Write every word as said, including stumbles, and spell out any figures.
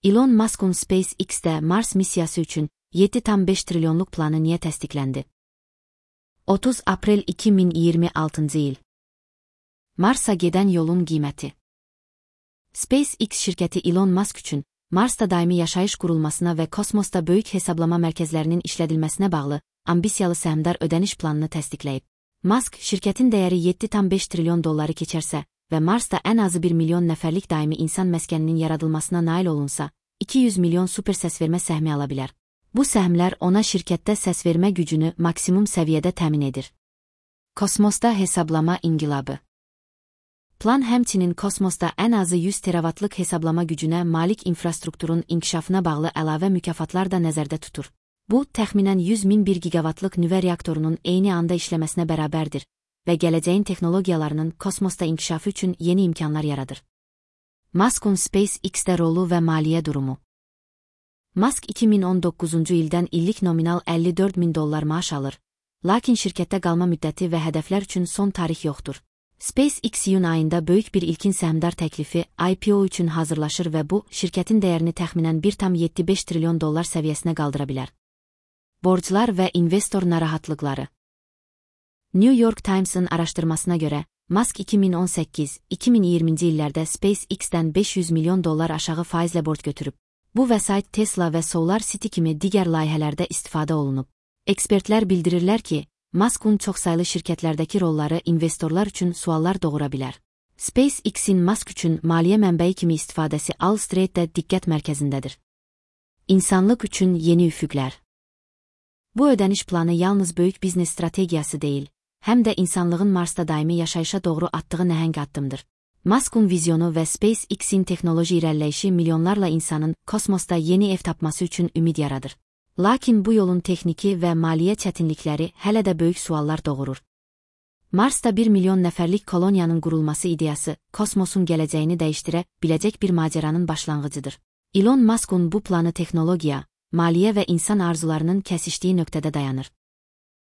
Elon Musk'un SpaceX'də Mars missiyası üçün yeddi tam beş trilyonluq planı niyə təsdiqləndi? otuz aprel iki min iyirmi altıncı il. Mars'a gedən yolun qiyməti. SpaceX şirkəti Elon Musk üçün Marsda daimi yaşayış qurulmasına və kosmosda böyük hesablama mərkəzlərinin işlədilməsinə bağlı ambisiyalı səhmdar ödəniş planını təsdiqləyib. Musk, şirkətin dəyəri yeddi tam beş trilyon dolları keçərsə və Marsda ən azı bir milyon nəfərlik daimi insan məskəninin yaradılmasına nail olunsa, iki yüz milyon super səsvermə səhmi ala bilər. Bu səhmlər ona şirkətdə səsvermə gücünü maksimum səviyyədə təmin edir. Kosmosda hesablama inqilabı. Plan həmçinin kosmosda ən azı yüz teravatlıq hesablama gücünə malik infrastrukturun inkişafına bağlı əlavə mükafatlar da nəzərdə tutur. Bu, təxminən yüz min bir gigavatlıq nüvə reaktorunun eyni anda işləməsinə bərabərdir və gələcəyin texnologiyalarının kosmosda inkişafı üçün yeni imkanlar yaradır. Musk'un SpaceX'də rolu və maliyyə durumu. Musk iki min on doqquzuncu ildən illik nominal əlli dörd min dollar maaş alır, lakin şirkətdə qalma müddəti və hədəflər üçün son tarix yoxdur. SpaceX iyun ayında böyük bir ilkin səhmdar təklifi I P O üçün hazırlaşır və bu, şirkətin dəyərini təxminən bir tam yeddi beş trilyon dollar səviyyəsinə qaldıra bilər. Borclar və investor narahatlıqları. New York Times'ın araşdırmasına görə, Musk iki min on səkkiz iki min iyirminci illərdə SpaceX'dən beş yüz milyon dollar aşağı faizlə borc götürüb. Bu vəsait Tesla və Solar City kimi digər layihələrdə istifadə olunub. Ekspertlər bildirirlər ki, Musk'un çoxsaylı şirkətlərdəki rolları investorlar üçün suallar doğura bilər. SpaceX'in Musk üçün maliyyə mənbəyi kimi istifadəsi Wall Street'də diqqət mərkəzindədir. İnsanlıq üçün yeni üfüqlər. Bu ödəniş planı yalnız böyük biznes strategiyası deyil, həm də insanlığın Marsda daimi yaşayışa doğru atdığı nəhəng addımdır. Musk'un vizyonu və SpaceX'in texnoloji irəliləyişi milyonlarla insanın kosmosda yeni ev tapması üçün ümid yaradır. Lakin bu yolun texniki və maliyyə çətinlikləri hələ də böyük suallar doğurur. Marsda bir milyon nəfərlik koloniyanın qurulması ideyası, kosmosun gələcəyini dəyişdirə biləcək bir macəranın başlanğıcıdır. Elon Musk'un bu planı texnologiya, maliyyə və insan arzularının kəsişdiyi nöqtədə dayanır.